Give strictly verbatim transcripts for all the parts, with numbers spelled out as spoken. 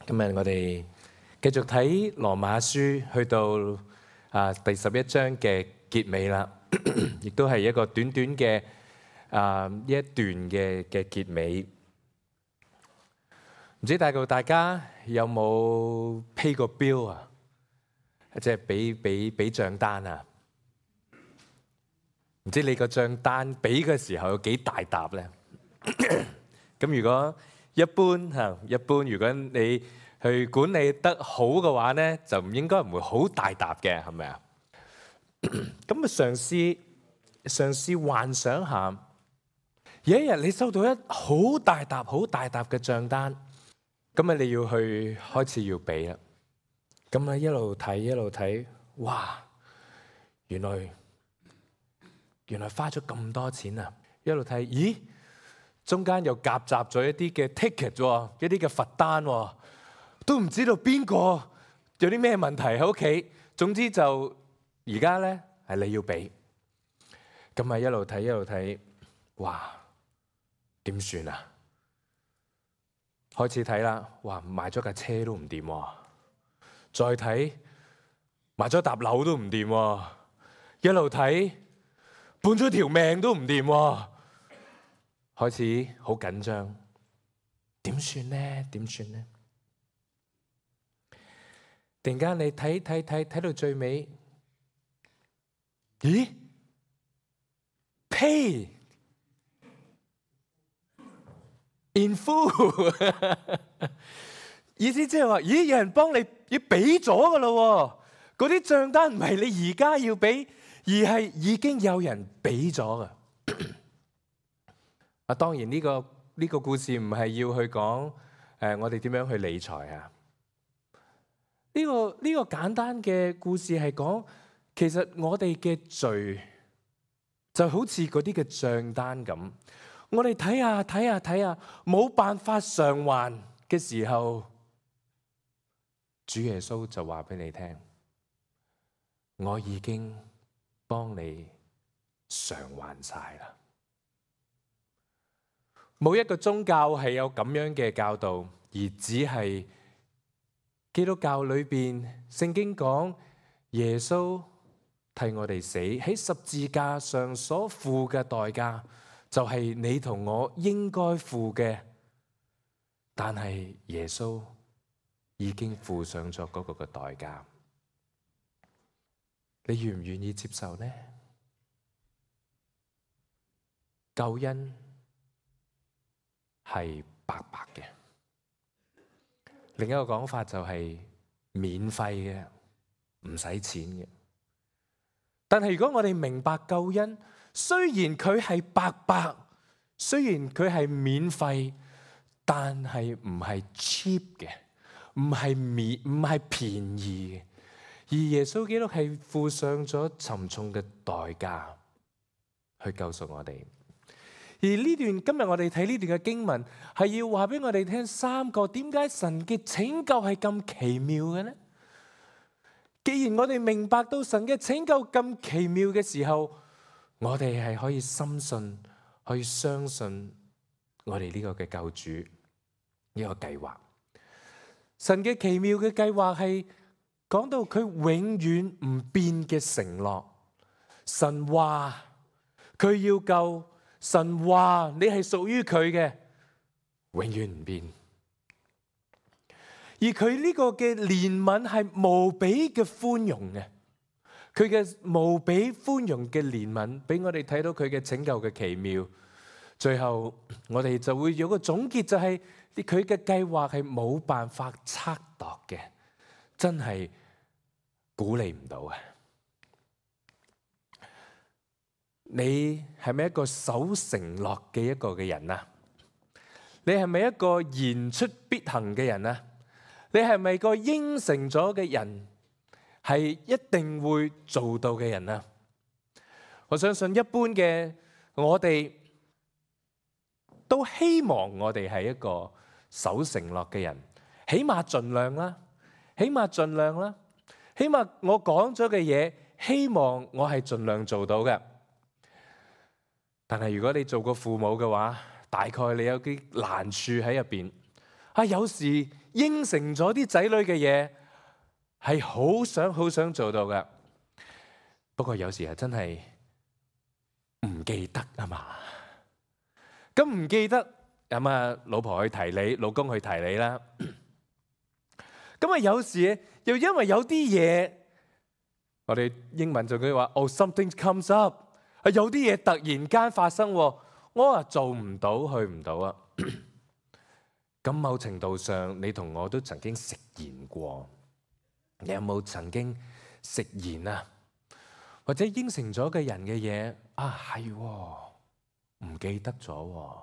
今日我哋繼續睇羅馬書，去到啊第十一章嘅結尾啦，亦都係一個短短嘅啊呢一段嘅嘅結尾。唔知大概大家有冇 pay 過 bill 啊？即係俾俾俾帳單啊？唔知你個帳單俾嘅時候有幾大沓咧？咁如果一般嚇，一般如果你去管理得好嘅話咧，就唔應該唔會好大沓嘅，係咪啊？咁啊，嘗試嘗試幻想下，有一日你收到一好大沓、好大沓嘅帳單，咁啊你要去開始要俾啦。咁啊一路睇一路睇，哇！原來原來花咗咁多錢啊！一路睇，咦？中間又夾雜咗一啲嘅 ticket 喎，一啲嘅罰單喎，都唔知道邊個有啲咩問題喺屋企。總之就而家咧係你要俾，咁啊一路睇一路睇，哇！點算啊？開始睇啦，哇！買咗架車都唔掂喎，再睇買咗沓樓都唔掂喎，一路睇半咗條命都唔掂喎。開始好緊張，點算呢？點算呢？突然間你睇睇睇睇到最尾，咦 ？Pay in full 意思即係話，咦？有人幫你要俾咗噶咯？嗰啲帳單唔係你而家要俾，而係已經有人俾咗噶。啊，當然呢個呢個故事唔係要去講誒，我哋點樣去理財啊？呢個呢個簡單嘅故事係講，其實我哋嘅罪就好似嗰啲嘅帳單咁，我哋睇下睇下睇下，冇辦法償還嘅時候，主耶穌就話俾你聽，我已經幫你償還晒啦。冇一個宗教係有咁樣嘅教導，而只係基督教裏邊聖經講耶穌替我哋死喺十字架上所付嘅代價，就係你同我應該付嘅，但係耶穌已經付上咗嗰個嘅代價，你願唔願意接受呢？救恩係白白嘅，另一個講法就係免費嘅，唔使錢嘅。但係如果我哋明白救恩，雖然佢係白白，雖然佢係免費，但係唔係 cheap 嘅，唔係免唔係便宜嘅。而耶穌基督係付上咗沉重嘅代價去救贖我哋。而呢段今日我哋睇呢段嘅經文，係要話俾我哋聽三個點解神嘅拯救係咁奇妙嘅呢？既然我哋明白到神嘅拯救咁奇妙嘅時候，我哋係可以深信，可以相信我哋呢個嘅救主呢個計劃。神嘅奇妙嘅計劃係講到佢永遠唔變嘅承諾。神話佢要救。神話你係屬於佢嘅，永遠唔變。而佢呢個嘅憐憫係無比嘅寬容嘅，佢嘅無比寬容嘅憐憫，俾我哋睇到佢嘅拯救嘅奇妙。最後我哋就會有個總結，就係佢嘅計劃係冇辦法測度嘅，真係估你唔到嘅。你係咪一個守承諾嘅一個嘅人啊？你係咪一個言出必行嘅人啊？你係咪個應承咗嘅人，係一定會做到嘅人啊？我相信一般嘅我哋都希望我哋係一個守承諾嘅人，起碼盡量啦，起碼盡量啦，起碼我講咗嘅嘢，希望我係盡量做到嘅。但係如果你做過父母嘅話，大概你有啲難處喺入邊。啊，有時應承咗啲仔女嘅嘢，係好想好想做到嘅。不過有時係真係唔記得啊嘛。咁唔記得咁啊，老婆去提你，老公去提你啦。咁啊，有時又因為有啲嘢，我哋英文就句話哦 something comes up， 係有啲嘢突然間發生，我話做唔到，去唔到啊。咁某程度上，你同我都曾經食言過。你有冇曾經食言啊？或者應承咗嘅人嘅嘢啊，係唔記得咗？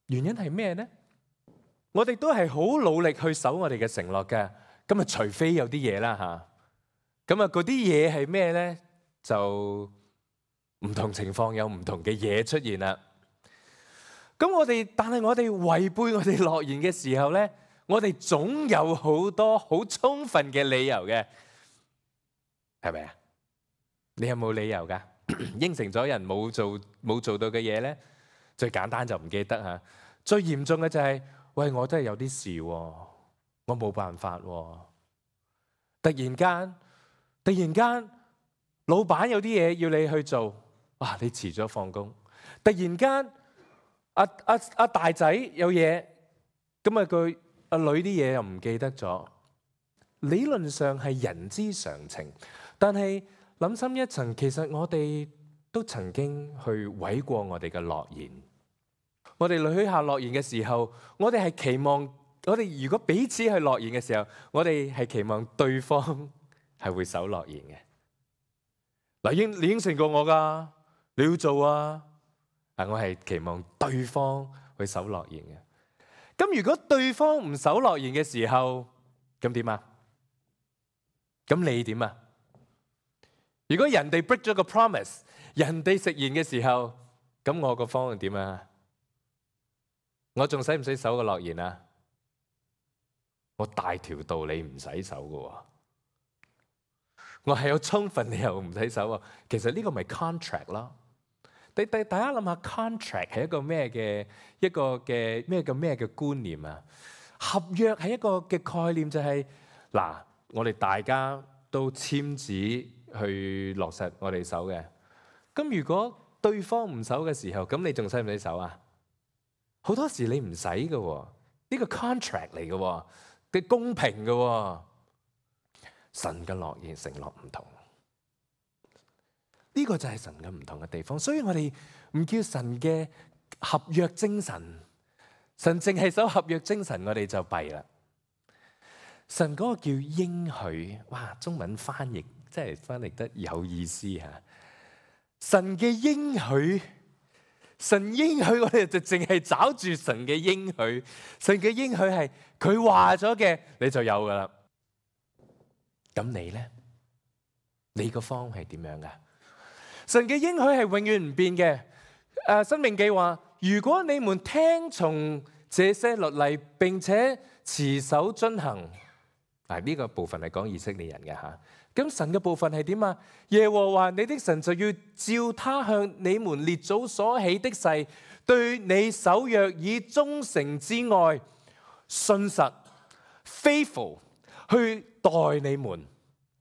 原因係咩呢？我哋都係好努力去守我哋嘅承諾嘅。咁啊，除非有啲嘢啦吓。咁啊，嗰啲嘢係咩呢？就唔同情況有唔同嘅嘢出現啦。咁我哋，但係我哋違背我哋諾言嘅時候呢，我哋總有好多好充分嘅理由嘅，係咪啊？你有冇理由噶？應承咗人冇做冇做到嘅嘢呢？最簡單就唔記得吓。最嚴重嘅就係、是，喂，我真係有啲事，我冇辦法。突然間，突然間，老闆有啲嘢要你去做，哇！你遲咗放工。突然間，阿阿阿大仔有嘢，咁啊佢阿女啲嘢又唔記得咗。理論上係人之常情，但係諗深一層，其實我哋都曾經去毀過我哋嘅諾言。我哋許下諾言嘅時候，我哋係期望，我哋如果彼此去諾言嘅時候，我哋係期望對方係會守諾言嘅。嗱，應你應承過我噶，你要做啊！啊，我係期望對方去守諾言嘅。咁如果對方唔守諾言嘅時候，咁點啊？咁你點啊？如果人哋 break 咗個 promise， 人哋食言嘅時候，咁我個方案點啊？我仲使唔使守個諾言啊？我大條道理唔使守噶，我係有充分理由唔使守啊。其實呢個咪 contract 咯。第第大家諗下 contract 係一個咩嘅一個嘅咩嘅咩嘅觀念啊？合約係一個嘅概念，就係嗱，我哋大家都簽字去落實我哋守嘅。咁如果對方唔守嘅時候，咁你仲使唔使守啊？好多時你唔使嘅，呢個 contract 嚟嘅，嘅公平嘅。神嘅諾言承諾唔同，呢個就係神嘅唔同嘅地方。所以我哋唔叫神嘅合約精神，神淨係守合約精神，我哋就弊啦。神嗰個叫應許，哇！中文翻譯真係翻譯得有意思吓。神嘅應許。神應許我哋就淨係找住神嘅應許，神嘅應許係佢話咗嘅，你就有噶啦。咁你呢？你個方係點樣噶？神嘅應許係永遠唔變嘅。誒，申命記話：如果你們聽從這些律例，並且持守遵行，嗱，呢個部分係講以色列人嘅吓。咁神嘅部分係點啊？耶和華你的神就要照他向你們列祖所起的誓，對你守約以忠誠之愛、信實 faithful 去待你們。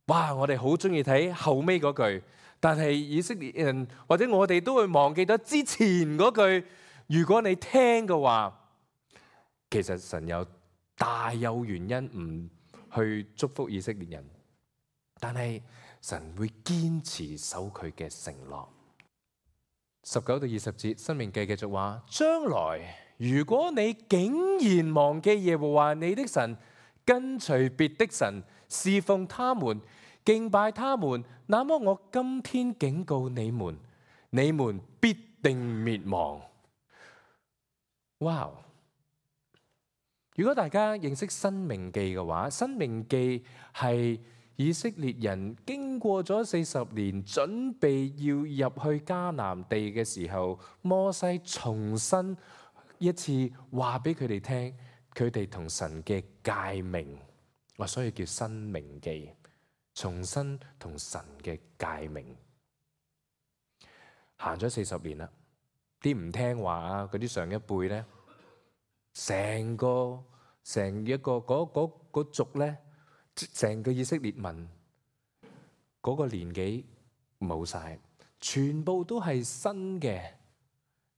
哇！我哋好中意睇後尾嗰句，但係以色列人或者我哋都會忘記咗之前嗰句。如果你聽嘅話，其實神有大有原因唔去祝福以色列人。但係神會堅持守佢嘅承諾。十九到二十節，申命記繼續話：將來如果你竟然忘記耶和華你的神，跟隨別的神，侍奉他們，敬拜他們，那麼我今天警告你們，你們必定滅亡。哇！如果大家認識申命記嘅話，申命記係以色列人經過咗四十年，準備要入去迦南地嘅時候，摩西重新一次話俾佢哋聽，佢哋同神嘅誡命，我所以叫申命記，重新同神嘅誡命。行咗四十年啦，啲唔聽話啊，嗰啲上一輩咧，成個成一個嗰嗰嗰族咧，成個以色列民嗰個年紀冇晒，全部都係新嘅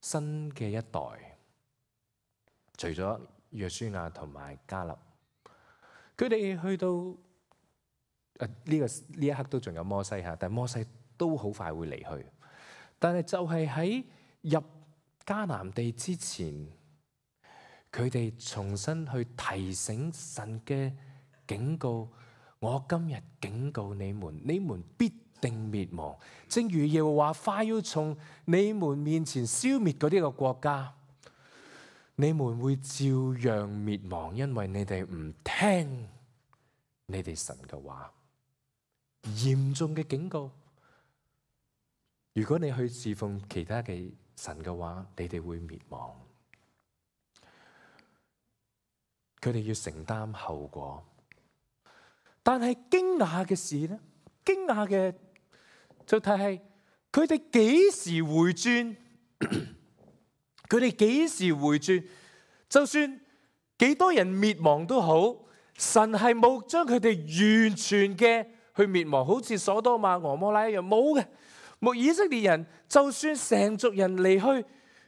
新嘅一代，除咗約書亞同埋迦勒，佢哋去到誒呢個呢一刻都仲有摩西嚇，但係摩西都好快會離去。但係就係喺入迦南地之前，佢哋重新去提醒神嘅警告。我今日警告你們，你們必定滅亡，正如耶和華快要從你們面前消滅嗰啲個國家，你們會照樣滅亡，因為你哋唔聽你哋神嘅話。嚴重嘅警告。如果你去侍奉其他嘅神嘅話，你哋會滅亡。佢哋要承擔後果。但係驚訝嘅事咧，驚訝嘅就係佢哋幾時回轉？佢哋幾時回轉？就算幾多人滅亡都好，神係冇將佢哋完全嘅去滅亡，好似所多瑪、蛾摩拉一樣，冇嘅。冇，以色列人就算成族人離去，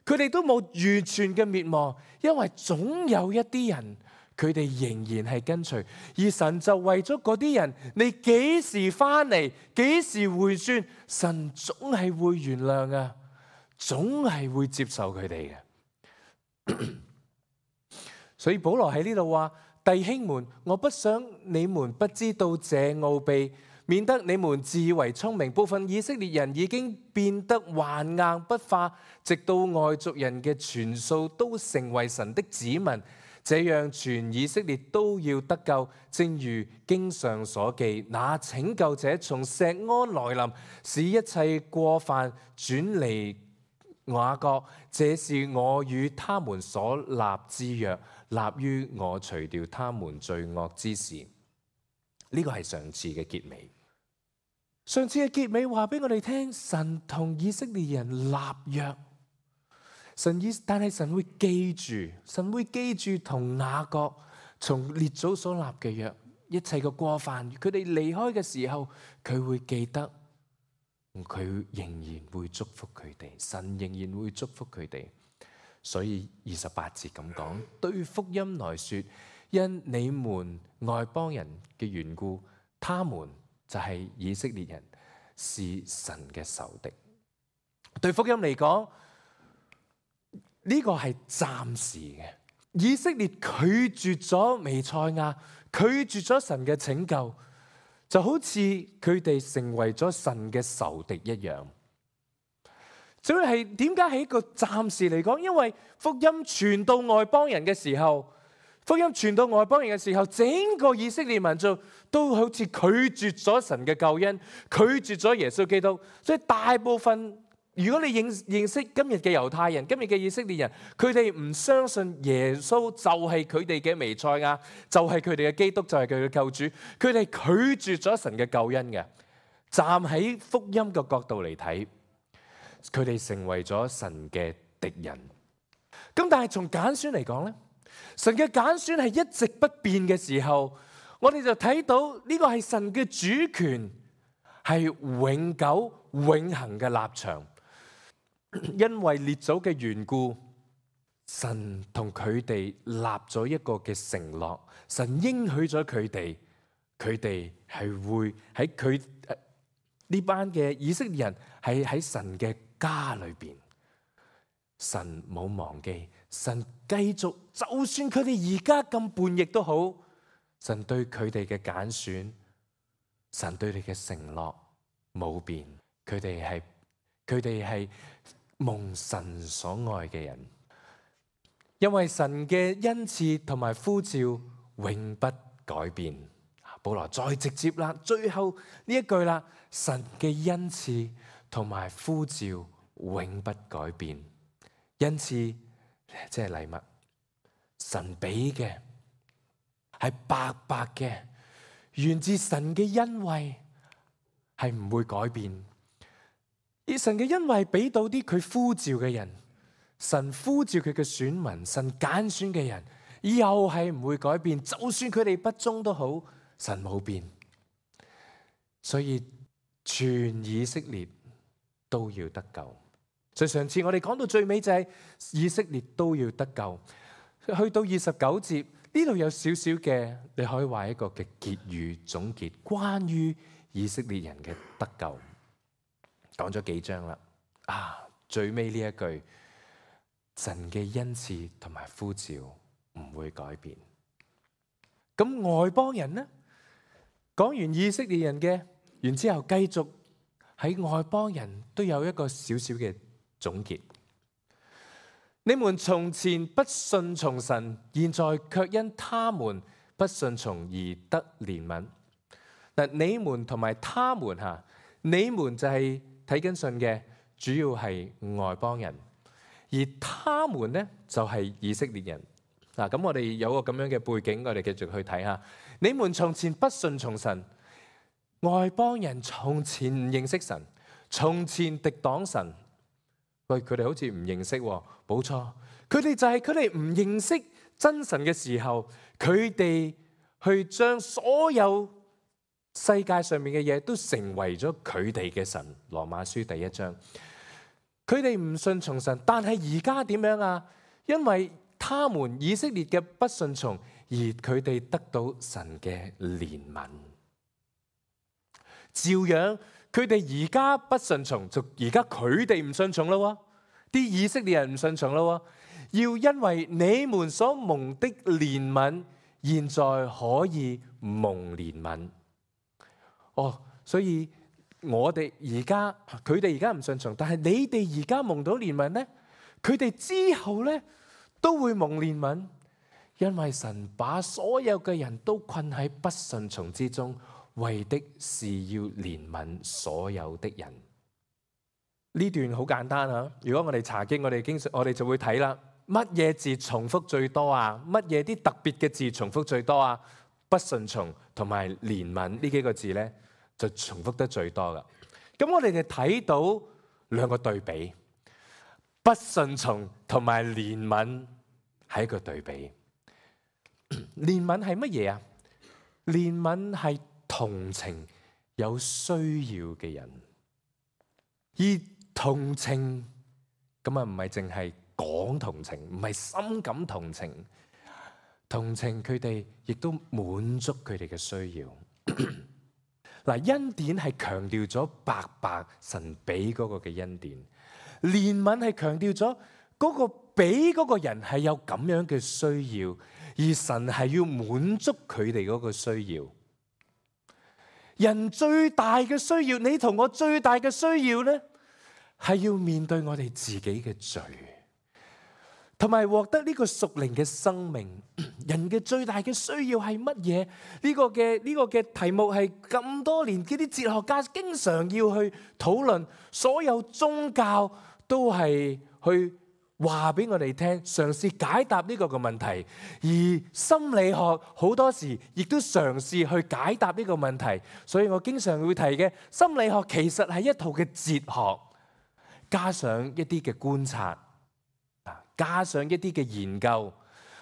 佢哋都冇完全嘅滅亡，因為總有一啲人佢哋仍然係跟隨，而神就為咗嗰啲人，你幾時翻嚟，幾時回轉，神總係會原諒啊，總係會接受佢哋嘅。所以保羅喺呢度話：弟兄們，我不想你們不知道這奧秘，免得你們自以為聰明。部分以色列人已經變得頑硬不化，直到外族人嘅全數都成為神的子民，這樣全以色列都要得救。正如經上所記，那拯救者從錫安來臨，使一切過犯轉離雅各，這是我與他們所立之約，立於我除掉他們罪惡之時。呢個係上次嘅結尾。上次嘅結尾話俾我哋聽，神同以色列人立約，神以但係神會記住，神會記住同雅各從列祖所立嘅約，一切嘅過犯，佢哋離開嘅時候，佢會記得，佢仍然會祝福佢哋，神仍然會祝福佢哋。所以二十八節咁講，對福音來說，因你們外邦人嘅緣故，他們就係以色列人，是神嘅仇敵。對福音嚟講，呢個係暫時嘅。以色列拒絕咗彌賽亞，拒絕咗神嘅拯救，就好似佢哋成為咗神嘅仇敵一樣。所以係點解係一個暫時嚟講？因為福音傳到外邦人嘅時候，福音傳到外邦人嘅時候，整個以色列民族都好似拒絕咗神嘅救恩，拒絕咗耶穌基督。所以大部分，如果你認認識今日嘅猶太人，今日嘅以色列人，佢哋唔相信耶穌就係佢哋嘅彌賽亞，就係佢哋嘅基督，就係佢嘅救主。佢哋拒絕咗神嘅救恩嘅。站喺福音嘅角度嚟睇，佢哋成為咗神嘅敵人。咁但係從揀選嚟講咧，神嘅揀選係一直不變嘅時候，我哋就睇到呢個係神嘅主權，係永久永恆嘅立場。因為列祖嘅緣故，神同佢哋立咗一個嘅承諾，神應許咗佢哋，佢哋係會喺佢呢班嘅以色列人係喺神嘅家裏邊。神冇忘記，神繼續，就算佢哋而家咁叛逆都好，神對佢哋嘅揀選，神對你嘅承諾冇變。佢哋係佢哋係蒙神所愛嘅人，因為神嘅恩賜同埋呼召永不改變。保羅再直接啦，最後呢一句啦，神嘅恩賜同埋呼召永不改變。恩賜即係禮物，神俾嘅係白白嘅，源自神嘅恩惠，係唔會改變。而神嘅恩惠俾到啲佢呼召嘅人，神呼召佢嘅選民，神揀選嘅人，又係唔會改變。就算佢哋不忠都好，神冇變。所以全以色列都要得救。所以上次我哋講到最尾就係以色列都要得救。去到二十九節呢度有少少嘅，你可以話一個嘅結語總結，關於以色列人嘅得救。講咗幾章啦，啊，最尾呢一句，神嘅恩賜同埋呼召唔會改變。咁外邦人呢？講完以色列人嘅，然之後繼續喺外邦人都有一個少少嘅總結。你們從前不順從神，現在卻因他們不順從而得憐憫。嗱，你們同埋他們吓，你們就係睇緊信嘅，主要係外邦人，而他們呢就係以色列人。嗱，咁我哋有個咁樣嘅背景，我哋繼續去睇下。你們從前不順從神，外邦人從前唔認識神，從前敵擋神。喂，佢哋好似唔認識喎，冇錯，佢哋就係佢哋唔認識真神嘅時候，佢哋去將所有世界上面嘅嘢都成為咗佢哋嘅神。羅馬書第一章，佢哋唔順從神，但係而家點樣啊？因為他們以色列嘅不順從，而佢哋得到神嘅憐憫。照樣，佢哋而家不順從，就而家佢哋唔順從咯。啲以色列人唔順從咯。要因為你們所蒙的憐憫，現在可以蒙憐憫。哦，所以我哋而家，佢哋而家唔順從，但係你哋而家蒙到憐憫呢？佢哋之後呢都會蒙憐憫，因為神把所有嘅人都困喺不順從之中，為的是要憐憫所有的人。呢段好簡單啊！如果我哋查經，我哋經常我哋就會睇啦。乜嘢字重複最多啊？乜嘢啲特別嘅字重複最多啊？不順從同埋憐憫呢幾個字呢，就重複得最多噶。咁我哋就睇到兩個對比，不順從同埋憐憫係一個對比。憐憫係乜嘢啊？憐憫係同情有需要嘅人，而同情咁啊，唔係淨係講同情，唔係深感同情，同情佢哋亦都滿足佢哋嘅需要。嗱，恩典係強調咗白白神俾嗰個嘅恩典，憐憫係強調咗嗰個俾嗰個人係有咁樣嘅需要，而神係要滿足佢哋嗰個需要。人最大嘅需要，你同我最大嘅需要呢，係要面對我哋自己嘅罪，同埋獲得呢個屬靈嘅生命。人嘅最大嘅需要係乜嘢？呢個嘅呢個嘅題目係咁多年，嗰啲哲學家經常要去討論，所有宗教都係去話俾我哋聽，嘗試解答呢個嘅問題。而心理學好多時亦都嘗試去解答呢個問題。所以我經常會提嘅，心理學其實係一套嘅哲學，加上一啲嘅觀察，加上一啲嘅研究。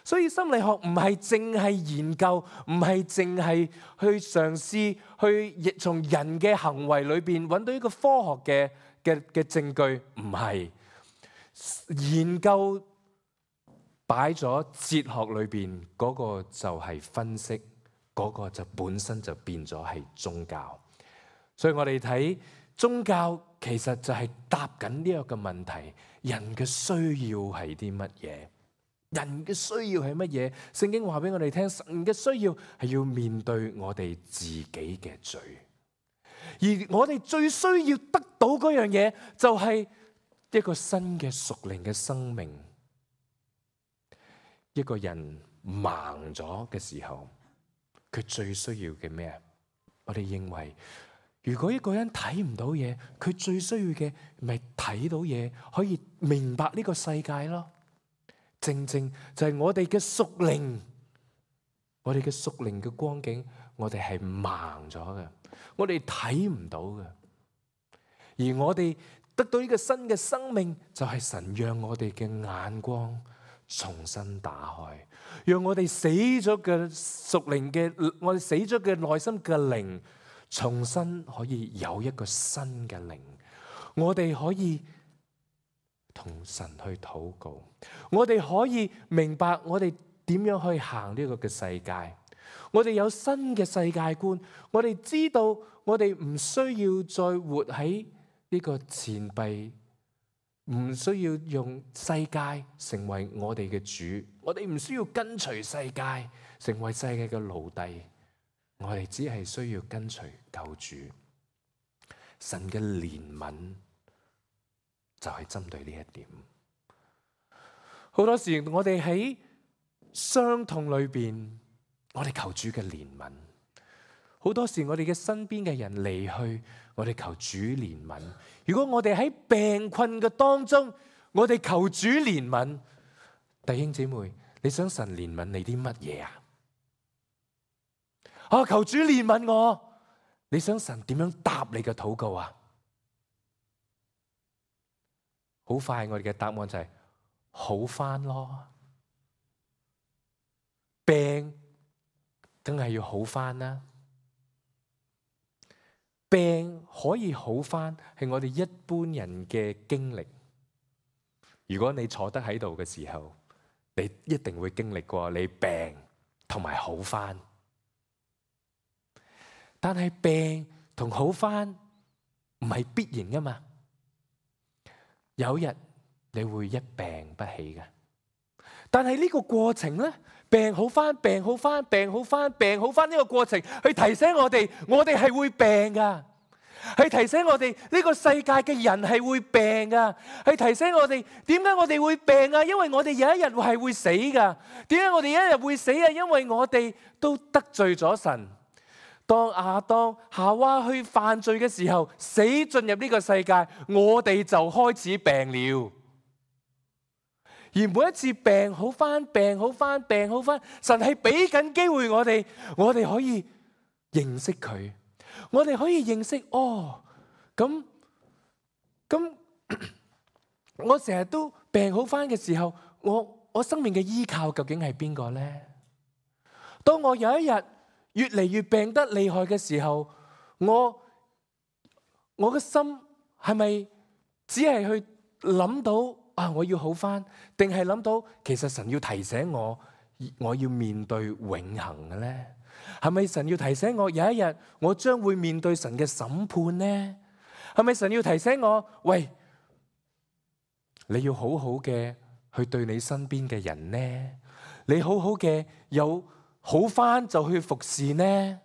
所以心理學唔係淨係研究，唔係淨係去嘗試去從人嘅行為裏邊揾到一個科學嘅嘅嘅證據，唔係。研究擺咗哲學裏邊嗰個就係分析，嗰個就本身就變咗係宗教。所以我哋睇宗教其實就係答緊呢一個問題：人嘅需要係啲乜嘢？人嘅需要係乜嘢？聖經話俾我哋聽，神嘅需要係要面對我哋自己嘅罪，而我哋最需要得到嗰樣嘢就係一個新嘅屬靈嘅生命。一個人盲咗嘅時候，佢最需要嘅咩？我哋認為，如果一個人睇唔到嘢，佢最需要嘅咪睇到嘢，可以明白呢個世界咯。正正就係我哋嘅屬靈，我哋嘅屬靈嘅光景，我哋係盲咗嘅，我哋睇唔到嘅。而我哋得到呢個新嘅生命，就係神讓我哋嘅眼光重新打開，讓我哋死咗嘅屬靈嘅，我哋死咗嘅內心嘅靈，重新可以有一個新嘅靈。我哋可以同神去禱告，我哋可以明白我哋點樣去行呢個嘅世界。我哋有新嘅世界觀，我哋知道我哋唔需要再活喺呢個錢幣，唔需要用世界成為我哋嘅主，我哋唔需要跟隨世界成為世界嘅奴隸，我哋只係需要跟隨救主。神嘅憐憫就係針對呢一點。好多時我哋喺傷痛裏邊，我哋求主嘅憐憫。好多時我哋嘅身邊嘅人離去，我哋求主憐憫。如果我哋喺病困嘅當中，我哋求主憐憫。弟兄姊妹，你想神憐憫你啲乜嘢啊？啊，求主憐憫我。你想神點樣答你嘅禱告啊？好快我哋嘅答案就係好返咯。病梗係要好返啦。病可以好返係我哋一般人嘅經歷。如果你坐得喺度嘅時候，你一定會經歷過你病同埋好返。但係病同好返唔係必然噶嘛。有日你會一病不起嘅。但係呢個過程咧，病好返，病好返，病好返，病好返呢個過程，去提醒我哋，我哋係會病噶，去提醒我哋呢個世界嘅人係會病噶，去提醒我哋點解我哋會病啊？因為我哋有一日係會死噶。點解我哋有一日會死啊？因為我哋都得罪咗神。當亞當夏娃去犯罪嘅時候，死進入呢個世界，我哋就開始病了。而每一次病好翻，病好翻，病好翻，神係俾緊機會我哋，我哋可以認識佢，我哋可以認識哦。咁咁，我成日都病好翻嘅時候，我我生命嘅依靠究竟係邊個呢？當我有一日越嚟越病得厲害嘅時候，我我嘅心係咪只係去諗到啊，我要好返，定係諗到其實神要提醒我，我要面對永恆嘅呢？係咪神要提醒我有一日我將會面對神嘅審判呢？係咪神要提醒我，喂，你要好好嘅去對你身邊嘅人呢？你好好嘅有好返就去服侍呢？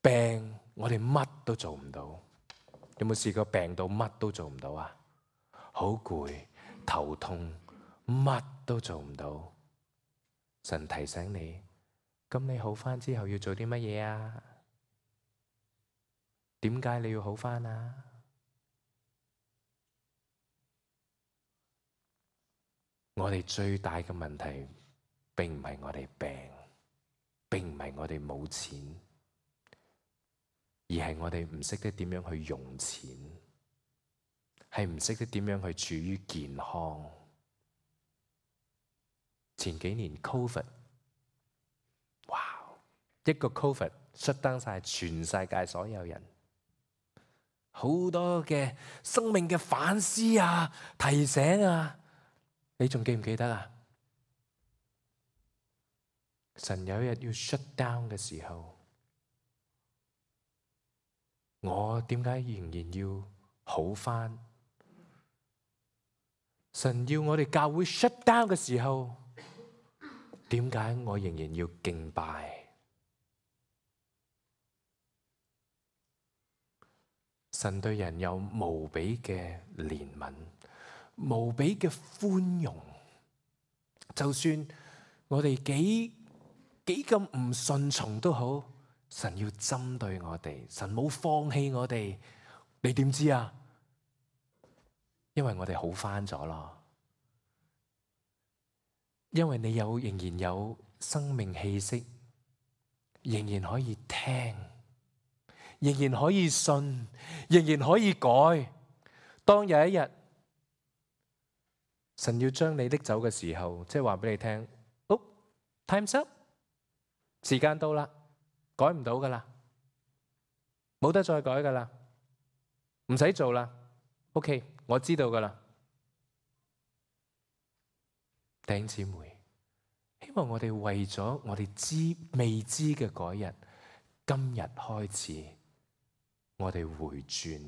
病我哋乜都做唔到。有冇試過病到乜都做唔到啊？好攰，頭痛，乜都做唔到。神提醒你，咁你好返之後要做啲乜嘢啊？點解你要好返啊？我哋最大嘅問題並唔係我哋病，並唔係我哋冇錢，而係我哋唔識得點樣去用錢，係唔識得點樣去處於健康。前幾年 Covid， 哇，一個 Covid shut down晒全世界所有人，好多嘅生命嘅反思啊、提醒啊，你仲記唔記得啊？神有一日要 shut down 嘅時候，我點解仍然要好返？神要我哋教會 shut down 嘅時候，點解我仍然要敬拜？神對人有無比嘅憐憫，無比嘅寬容。就算我哋幾幾咁唔順從都好，神要針對我哋，神冇放棄我哋。你點知啊？因為我哋好返咗咯。因為你有仍然有生命氣息，仍然可以聽，仍然可以信，仍然可以改。當有一日神要將你拎走嘅時候，即係話俾你聽，哦 ，time's up，時間到啦，改唔到噶啦，冇得再改噶啦，唔使做啦。OK， 我知道噶啦。弟兄姊妹，希望我哋為咗我哋知未知嘅嗰日，今日開始，我哋回轉。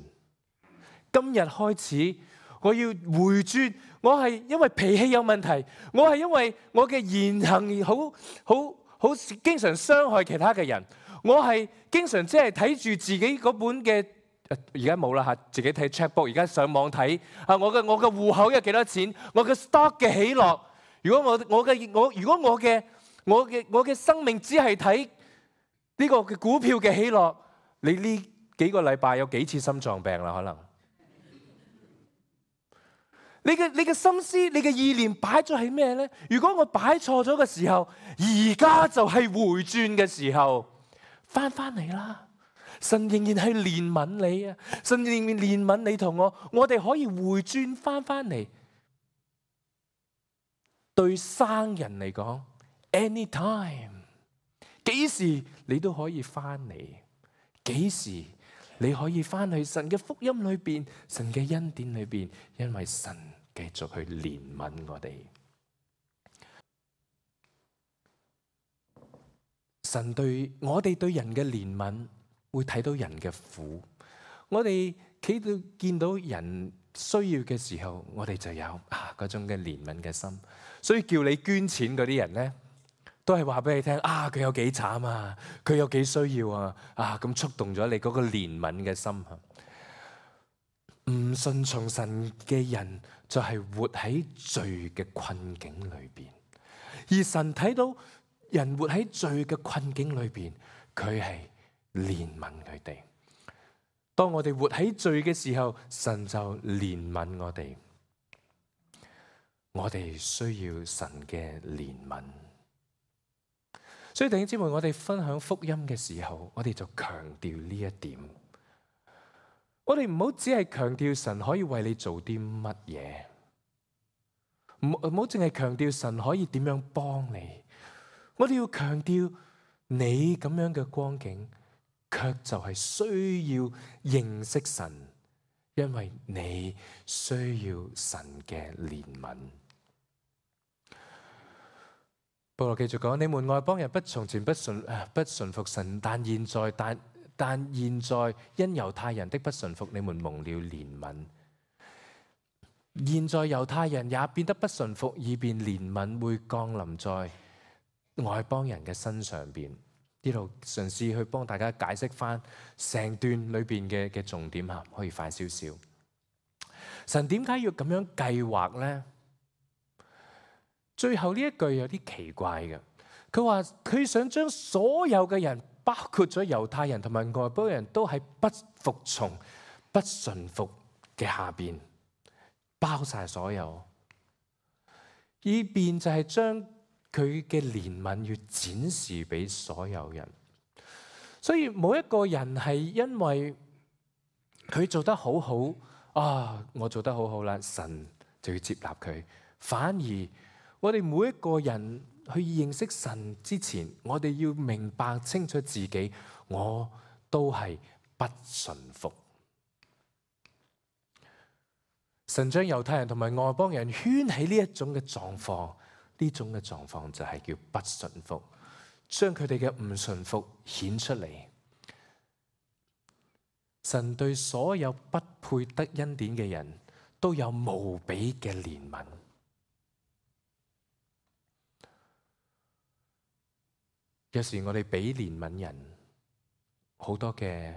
今日開始，我要回轉。我係因為脾氣有問題，我係因為我嘅言行好好好經常傷害其他嘅人，我係經常即係睇住自己嗰本嘅，而家冇啦嚇，自己睇 checkbook， 而家上網睇啊，我嘅我嘅戶口有幾多錢，我嘅 stock 嘅起落。如果我我嘅我如果我嘅我嘅我嘅生命只係睇呢個嘅股票嘅起落，你呢幾個禮拜有幾次心臟病啦？可能你嘅你嘅心思、你嘅意念擺咗喺咩呢？如果我擺錯咗嘅時候，而家就係回轉嘅時候，翻翻嚟啦！神仍然係憐憫你啊！神仍然憐憫你同我，我哋可以回轉翻翻嚟。對生人嚟講 ，anytime， 幾時你都可以翻嚟，幾時你可以翻去神嘅福音裏邊，神嘅恩典裏邊，因為神繼續去憐憫我哋。神對我哋對人嘅憐憫，會睇到人嘅苦。我哋企到見到人需要嘅時候，我哋就有啊嗰種嘅憐憫嘅心。所以叫你捐錢嗰啲人咧，都係話俾你聽啊，佢有幾慘啊，佢有幾需要啊，啊咁觸動咗你嗰個憐憫嘅心。唔順從神嘅人就係活喺罪嘅困境裏邊，而神睇到人活喺罪嘅困境裏邊，佢係憐憫佢哋。當我哋活喺罪嘅時候，神就憐憫我哋。我哋需要神嘅憐憫，所以弟兄姊妹，我哋分享福音嘅時候，我哋就強調呢一點。我哋唔好只係強調神可以為你做啲乜嘢，唔唔好淨係強調神可以點樣幫你。我哋要強調你咁樣嘅光景，卻就係需要認識神，因為你需要神嘅憐憫。保羅繼續講：你們外邦人不從前不順不順服神，但現在但但現在因猶太人的不順服，你們蒙了憐憫。現在猶太人也變得不順服，以便憐憫會降臨在外邦人嘅身上邊。呢度嘗試去幫大家解釋翻成段裏邊嘅嘅重點吓，可以快少少。神點解要咁樣計劃呢？最後呢一句有啲奇怪嘅，佢話佢想將所有嘅人，包括咗猶太人同埋外邦人都喺不服從、不順服嘅下邊，包晒所有，以便就係將佢嘅憐憫要展示俾所有人。所以冇一個人係因為佢做得好好啊，我做得好好啦，神就要接納佢，反而我哋每一個人去認識神之前，我哋要明白清楚自己，我都係不順服。神將猶太人同埋外邦人圈喺呢一種嘅狀況，呢種嘅狀況就係叫不順服，將佢哋嘅唔順服顯出嚟。神對所有不配得恩典嘅人都有無比嘅憐憫。有時我哋俾憐憫人好多嘅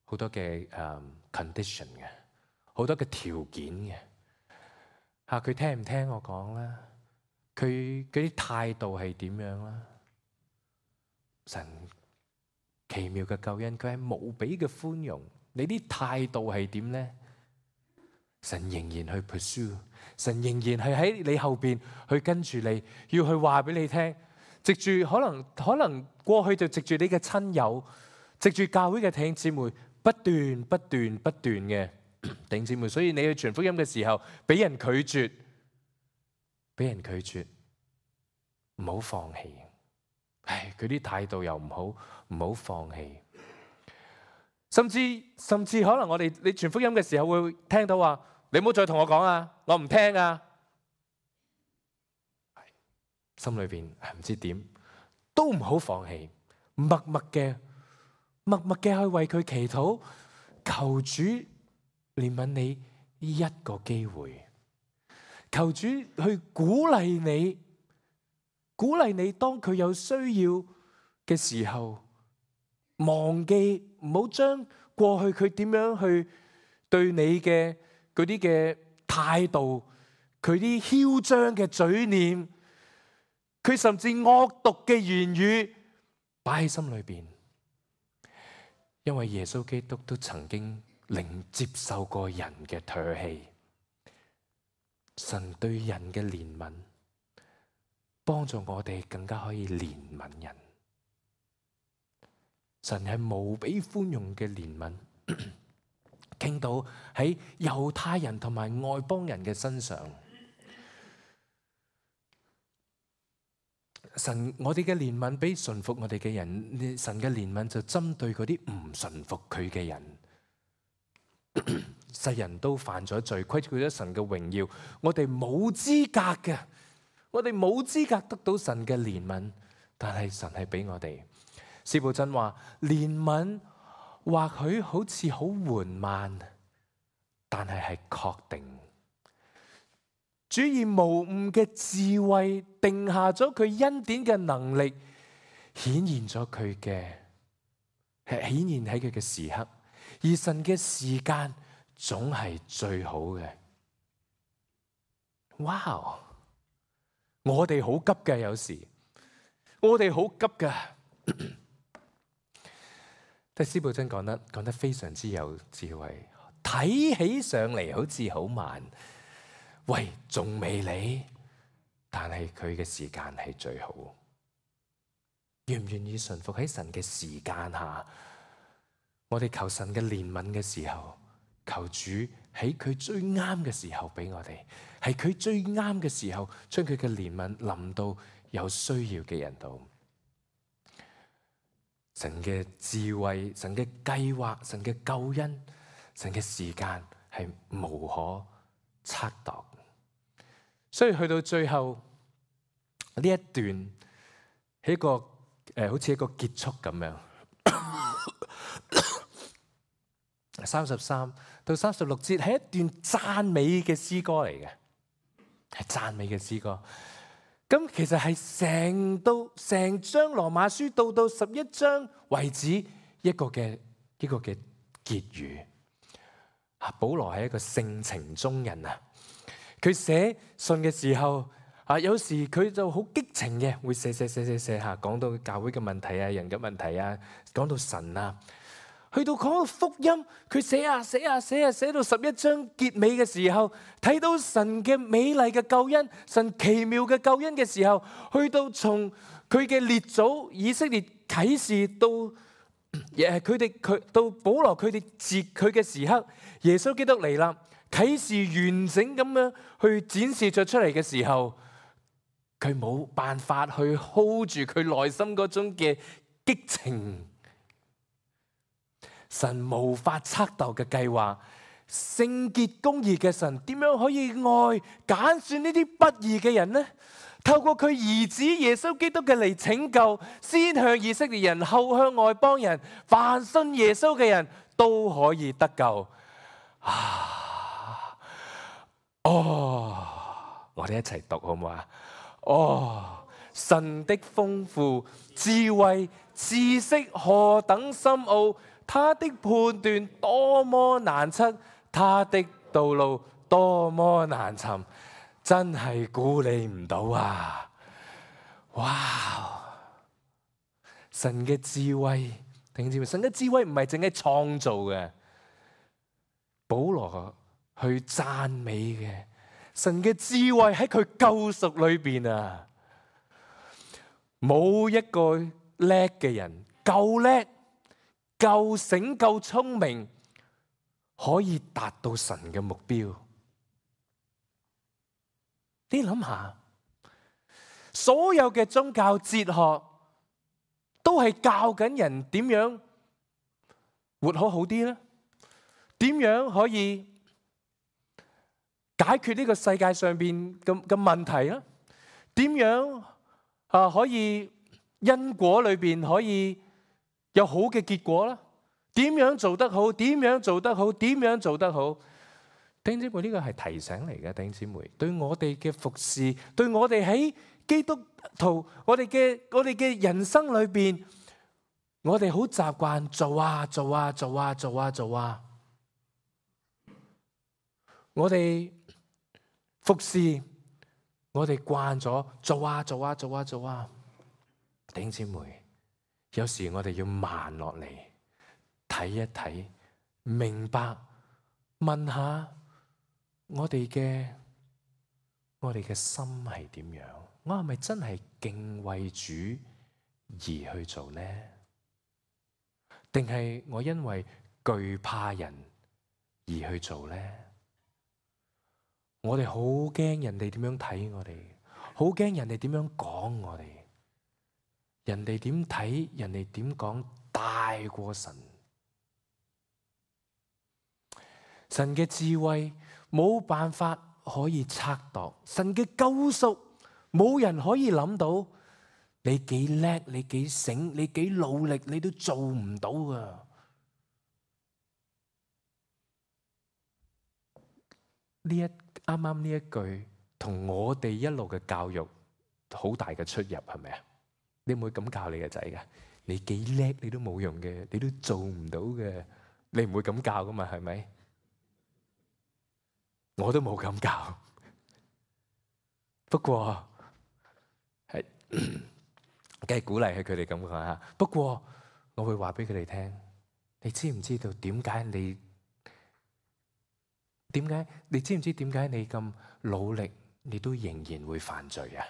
好多嘅誒、um, condition 嘅，好多嘅條件嘅嚇，佢聽唔聽我講啦？佢嗰啲態度係點樣啦？神奇妙嘅救恩，佢係無比嘅寬容。你啲態度係點咧？神仍然去 pursue， 神仍然係喺你後邊去跟住你，要去話俾你聽。藉住可能可能過去就藉住你嘅親友，藉住教會嘅弟兄姊妹不斷不斷不斷嘅弟兄姊妹，所以你去傳福音嘅時候，俾人拒絕，俾人拒絕，唔好放棄。唉，佢啲態度又唔好，唔好放棄。甚至甚至可能我哋你傳福音嘅時候會聽到話，你唔好再同我講啊，我唔聽啊。心裏邊唔知點，都唔好放棄，默默嘅默默嘅去為佢祈禱，求主憐憫你一個機會，求主去鼓勵你，鼓勵你當佢有需要嘅時候，忘記唔好將過去佢點樣去對你嘅嗰啲嘅態度，佢啲囂張嘅嘴臉，佢甚至惡毒嘅言語擺喺心裏邊。因為耶穌基督都曾經令接受過人嘅唾棄，神對人嘅憐憫，幫助我哋更加可以憐憫人。神係無比寬容嘅憐憫，傾到喺猶太人同埋外邦人嘅身上。神，我哋嘅憐憫比順服我哋嘅人，神嘅憐憫就針對嗰啲唔順服佢嘅人。世人都犯咗罪，虧缺咗神嘅榮耀，我哋冇資格嘅，我哋冇資格得到神嘅憐憫，但係神係俾我哋。司布真話，憐憫或許好似好緩慢，但係係確定。主以無誤嘅智慧定下咗佢恩典嘅能力，顯現咗佢嘅，係顯現喺佢嘅時刻，而神嘅時間總係最好嘅。哇！我哋好急嘅，有時我哋好急㗎。但係司布真講得講得非常之有智慧，睇起上嚟好似好慢。喂，仲未嚟，但係佢嘅時間係最好。願唔願意順服喺神嘅時間下？我哋求神嘅憐憫嘅時候，求主喺佢最啱嘅時候俾我哋，係佢最啱嘅時候，將佢嘅憐憫臨到有需要嘅人度。神嘅智慧、神嘅計劃、神嘅救恩、神嘅時間係無可測度。所以去到最後呢一段係一個誒、呃，好似一個結束咁樣。三十三到三十六節係一段讚美嘅詩歌嚟嘅，係讚美嘅詩歌。咁其實係成到成章羅馬書到到十一章為止一個嘅一個嘅結語。啊，保羅係一個性情中人啊。佢寫信嘅時候，啊，有時佢就好激情嘅，會寫寫寫寫寫下，講到教會嘅問題啊、人嘅問題啊，講到神啊，去到講到福音，佢寫啊寫啊寫啊寫到十一章結尾嘅時候，睇到神嘅美麗嘅救恩，神奇妙嘅救恩嘅時候，去到從佢嘅列祖以色列啟示到誒佢哋佢到保羅佢哋截佢嘅時刻，耶穌基督嚟啦。啟示完整咁樣去展示咗出嚟嘅時候，佢冇辦法去 hold 住佢內心嗰種嘅激情。神無法測度嘅計劃，聖潔公義嘅神點樣可以愛揀選呢啲不義嘅人呢？透過佢兒子耶穌基督嘅嚟拯救，先向以色列人，後向外邦人，凡信耶穌嘅人都可以得救。啊！哦，我哋一齊讀好唔好啊？哦，神的豐富智慧知識何等深奧，他的判斷多麼難測，他的道路多麼難尋，真係估你唔到啊！哇！神嘅智慧，聽知唔知？神嘅智慧唔係淨係創造嘅，保羅去讚美嘅神嘅智慧喺佢救贖裏邊啊！冇一個叻嘅人夠叻，夠醒夠聰明，可以達到神嘅目標。你諗下，所有嘅宗教哲學都係教緊人點樣活好好啲咧？點樣可以解決呢個世界上邊嘅嘅問題咧？點樣啊可以因果裏邊可以有好嘅結果咧？點樣做得好？點樣做得好？點樣做得好？弟兄姊妹，呢個係提醒嚟嘅，弟兄姊妹，對我哋嘅服侍，對我哋喺基督徒，我哋嘅我哋嘅人生裏邊，我哋好習慣做啊做啊做啊做啊做啊，我哋服侍，我哋慣咗做啊做啊做啊做啊，弟兄姊妹，有時我哋要慢落嚟。睇一睇，明白，問下我哋嘅我哋嘅心係點樣？我係咪真係敬畏主而去做呢？定係我因為懼怕人而去做呢？我哋好驚人哋點樣睇我哋，好驚人哋點樣講我哋，人哋點睇，人哋點講大過神。神嘅智慧冇辦法可以測度，神嘅救贖冇人可以諗到。你幾叻，你幾醒，你幾努力，你都做唔到噶。呢一啱啱呢一句同我哋一路嘅教育好大嘅出入，係咪啊？你唔會咁教你嘅仔噶？你幾叻你都冇用嘅，你都做唔到嘅，你唔會咁教噶嘛？係咪？我都冇咁教，不過係梗係鼓勵佢哋咁講吓。不過我會話俾佢哋聽，你知唔知道點解你點解？你知唔知點解你咁努力，你都仍然會犯罪啊？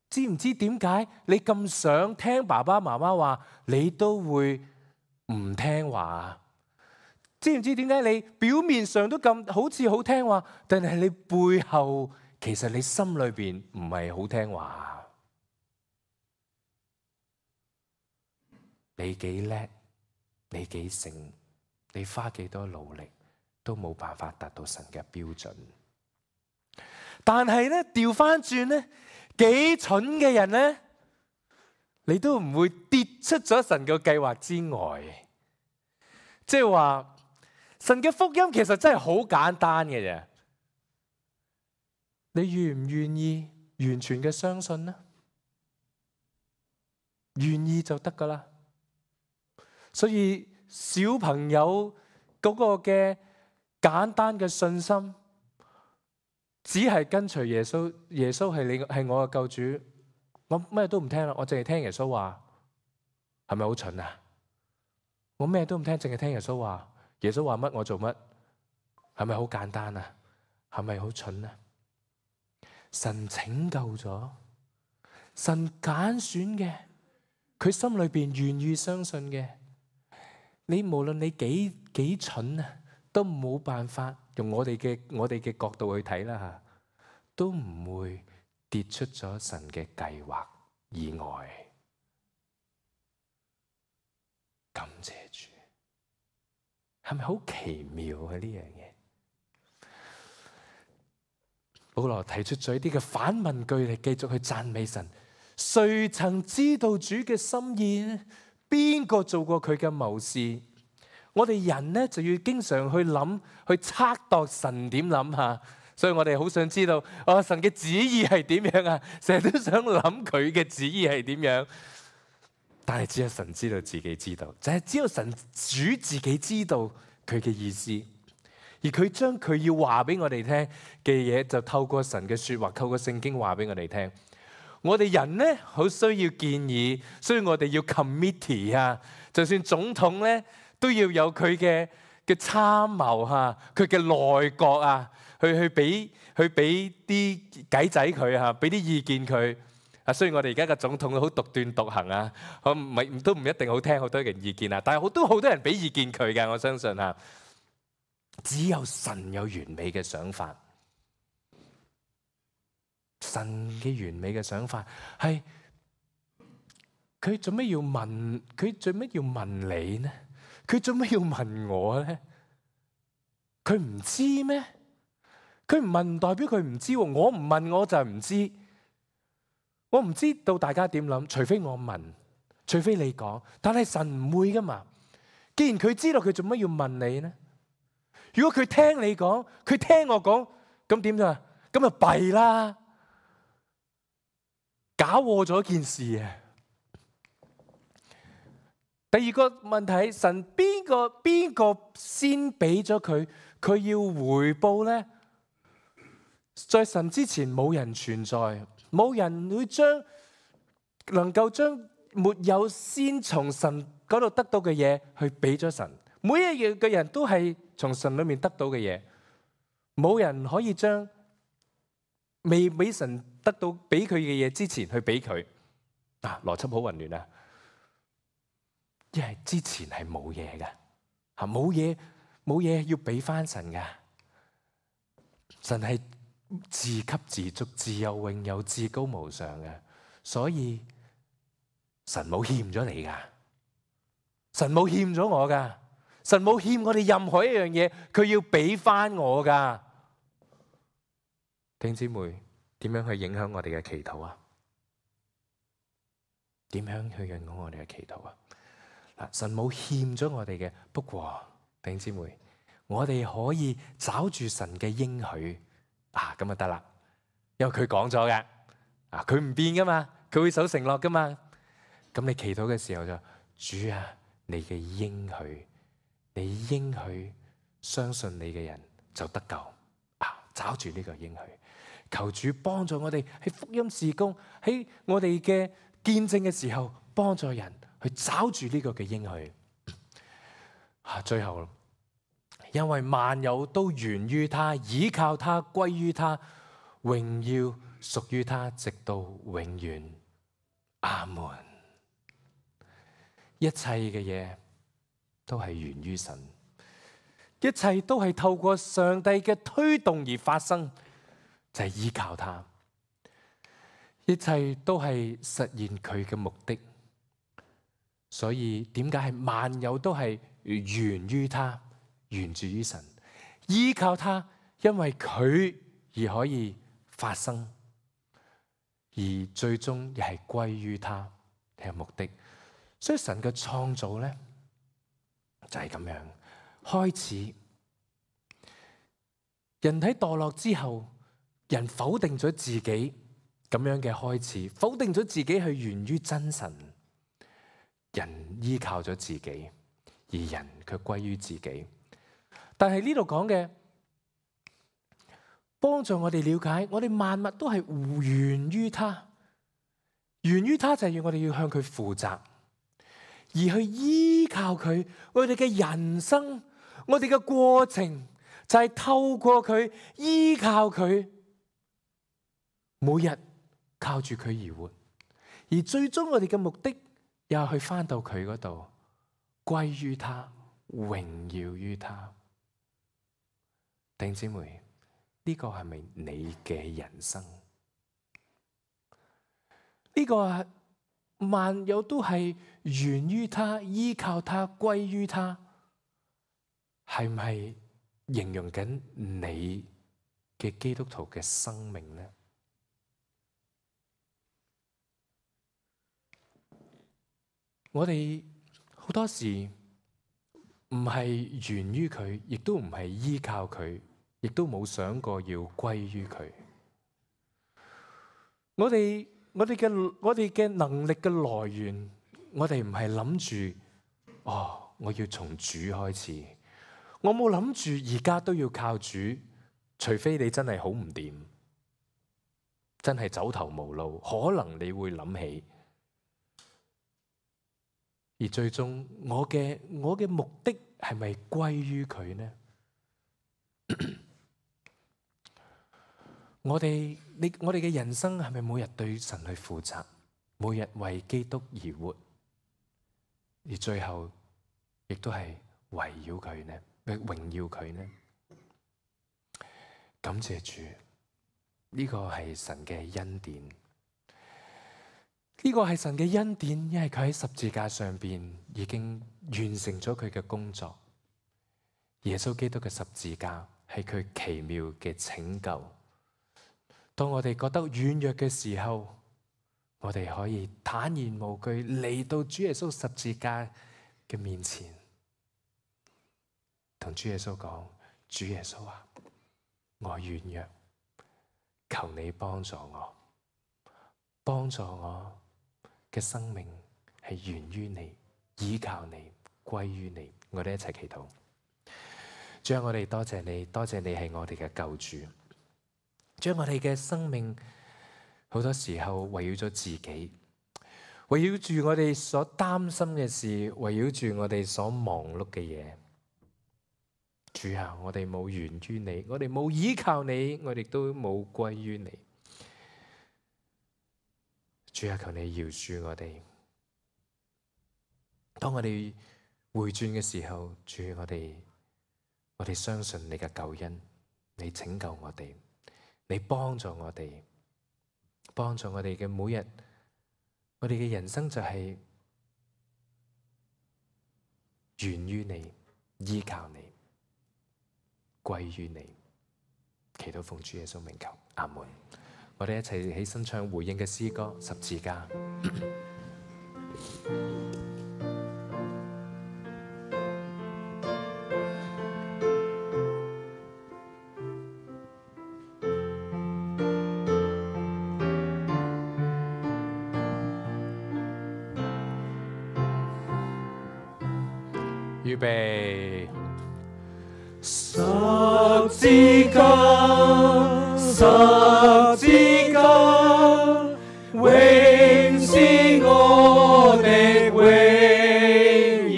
知唔知點解你咁想聽爸爸媽媽話，你都會唔聽話啊？知唔知點解你表面上都咁好似好聽話，但係你背後其實你心裏邊唔係好聽話？你幾叻，你幾醒，你花幾多努力都冇辦法達到神嘅標準。但係咧調翻轉咧，幾蠢嘅人咧，你都唔會跌出咗神嘅計劃之外。即係話。神嘅福音其實真係好簡單嘅啫，你願唔願意完全嘅相信呢？願意就得噶啦。所以小朋友嗰個嘅簡單嘅信心，只係跟隨耶穌。耶穌係你係我嘅救主，我咩都唔聽啦，我淨係聽耶穌話，係咪好蠢啊？我咩都唔聽，淨係聽耶穌話。耶穌話乜我做乜，係咪好簡單啊？係咪好蠢啊？神拯救咗，神揀選嘅，佢心裏邊願意相信嘅，你無論你幾幾蠢啊，都冇辦法用我哋嘅我哋嘅角度去睇啦吓，都唔會跌出咗神嘅計劃以外。感謝主。係咪好奇妙啊？呢樣嘢，保羅提出咗一啲嘅反問句嚟，繼續去讚美神。誰曾知道主嘅心意呢？邊個做過佢嘅謀士？我哋人呢就要經常去諗，去測度神點諗下。所以我哋好想知道，哦，神嘅旨意係點樣啊？成日都想諗佢嘅旨意係點樣。但係只有神知道自己知道，就係只有神主自己知道佢嘅意思，而佢將佢要話俾我哋聽嘅嘢，就透過神嘅說話，透過聖經話俾我哋聽。我哋人呢，好需要建議，所以我哋要 committee 啊，就算總統呢，都要有佢嘅嘅參謀吓，佢嘅內閣啊，去去俾去俾啲計仔佢吓，俾啲意見佢。啊，雖然我哋而家嘅總統好獨斷獨行啊，我唔係都唔一定好聽好多人意見啊，但係好多好多人俾意見佢嘅，我相信啊，只有神有完美嘅想法。神嘅完美嘅想法係佢做咩要問？佢做咩要問你呢？佢做咩要問我呢？佢唔知咩？佢唔問唔代表佢唔知，我唔問我就唔知。我唔知道大家點諗，除非我問，除非你講。但係神唔會噶嘛。既然佢知道，佢做乜要問你呢？如果佢聽你講，佢聽我講，咁點啊？咁就弊啦，搞禍咗件事啊！第二個問題，神邊個邊個先俾咗佢，佢要回報呢？在神之前冇人存在，冇人會將能夠將沒有先從神嗰度得到嘅嘢去俾咗神。每一樣嘅人都係從神裏面得到嘅嘢，冇人可以將未俾神得到俾佢嘅嘢之前去俾佢。啊，邏輯好混亂啊！因為之前係冇嘢嘅，吓冇嘢冇嘢要俾翻神噶。神係自給自足、自有永有、至高無上嘅，所以神冇欠咗你噶，神冇欠咗我噶，神冇欠我哋任何一樣嘢，佢要俾翻我噶。弟兄姊妹，點樣去影響我哋嘅祈禱啊？點樣去影響我哋嘅祈禱啊？嗱，神冇欠咗我哋嘅，不過弟兄姊妹，我哋可以找住神嘅應許啊，咁就得啦。因為佢講咗嘅，啊，佢唔變噶嘛，佢會守承諾噶嘛。咁你祈禱嘅時候就，主啊，你嘅應許，你應許相信你嘅人就得救啊，找住呢個應許，求主幫助我哋喺福音事工，喺我哋嘅見證嘅時候，幫助人。去找住呢個嘅應許啊！最後，因為萬有都源於他，倚靠他，歸於他，榮耀屬於他，直到永遠。阿門。一切嘅嘢都係源於神，一切都係透過上帝嘅推動而發生，就係依靠他。一切都係實現佢嘅目的。所以點解係萬有都係源於他，源自於神，依靠他，因為佢而可以發生，而最終亦係歸於他嘅目的。所以神嘅創造咧就係咁樣開始。人體墮落之後，人否定咗自己咁樣嘅開始，否定咗自己係源於真神。人依靠咗自己，而人卻歸於自己。但係呢度講嘅，幫助我哋了解，我哋萬物都係源於他，源於他就係要我哋要向佢負責，而去依靠佢。我哋嘅人生，我哋嘅過程就係透過佢，依靠佢，每日靠住佢而活，而最終我哋嘅目的。又去返到佢嗰度，歸於他，榮耀於他。弟兄姊妹，呢個係咪你嘅人生？呢個係萬有都係源於他，依靠他，歸於他，係唔係形容緊你嘅基督徒嘅生命呢？我哋好多時唔係源於佢，亦都唔係依靠佢，亦都冇想過要歸於佢。我哋我哋嘅我哋嘅能力嘅來源，我哋唔係諗住哦，我要從主開始。我冇諗住而家都要靠主，除非你真係好唔掂，真係走投無路，可能你會諗起。而最終，我嘅我嘅目的係咪歸於佢呢？我哋你我哋嘅人生係咪每日對神去負責，每日為基督而活，而最後亦都係圍繞佢呢，榮耀佢呢？感謝主，呢個係神嘅恩典，呢個係神嘅恩典，因為佢喺十字架上邊已經完成咗佢嘅工作。耶穌基督嘅十字架係佢奇妙嘅拯救。當我哋覺得軟弱嘅時候，我哋可以坦然無懼嚟到主耶穌十字架嘅面前，同主耶穌講：主耶穌啊，我軟弱，求你幫助我，幫助我嘅生命係源於你，依靠你，歸於你。我哋一齊祈禱。主啊，我哋多謝你，多謝你係我哋嘅救主。將我哋嘅生命好多時候圍繞咗自己，圍繞住我哋所擔心嘅事，圍繞住我哋所忙碌嘅嘢。主啊，我哋冇源於你，我哋冇依靠你，我哋都冇歸於你。主啊，求你饒恕我哋。當我哋回轉嘅時候，主，我哋我哋相信你嘅救恩，你拯救我哋。你幫助我哋，幫助我哋嘅每日，我哋嘅人生就係源於你，依靠你，歸於你。祈禱奉主耶穌名求，阿門。我哋一齊起身唱回應嘅詩歌《十字架》。預備，十字架，十字架，永是我的榮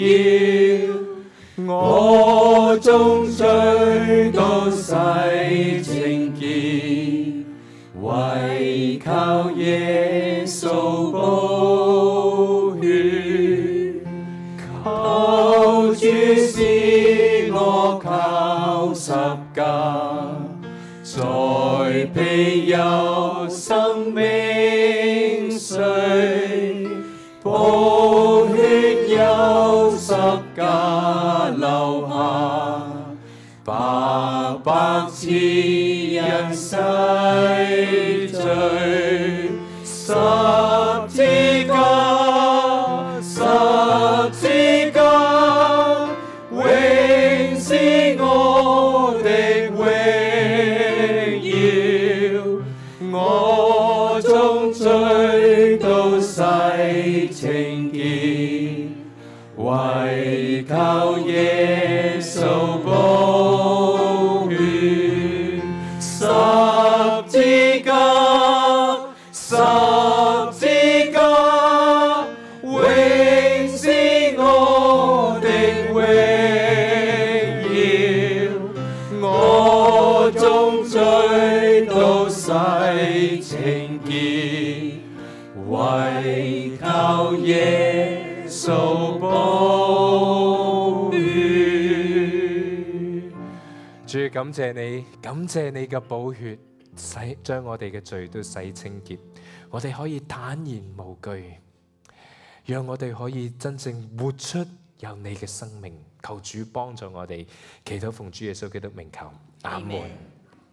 耀，我終追到洗清潔，唯靠耶穌寶血，靠主使我靠十架，在庇佑生命水，寶血由十架流下，白白賜人洗罪。十字架，十字架，永是我的榮耀，我終追到洗清潔，唯靠耶穌寶血。十字架，十字架，永是我的榮耀，我終追到洗清潔，唯靠耶穌寶血。主，感謝你，感謝你嘅寶血洗將我哋嘅罪都洗清潔，我哋可以坦然無懼，讓我哋可以真正活出有你嘅生命。求主幫助我哋，祈禱奉主耶穌基督名求，阿門。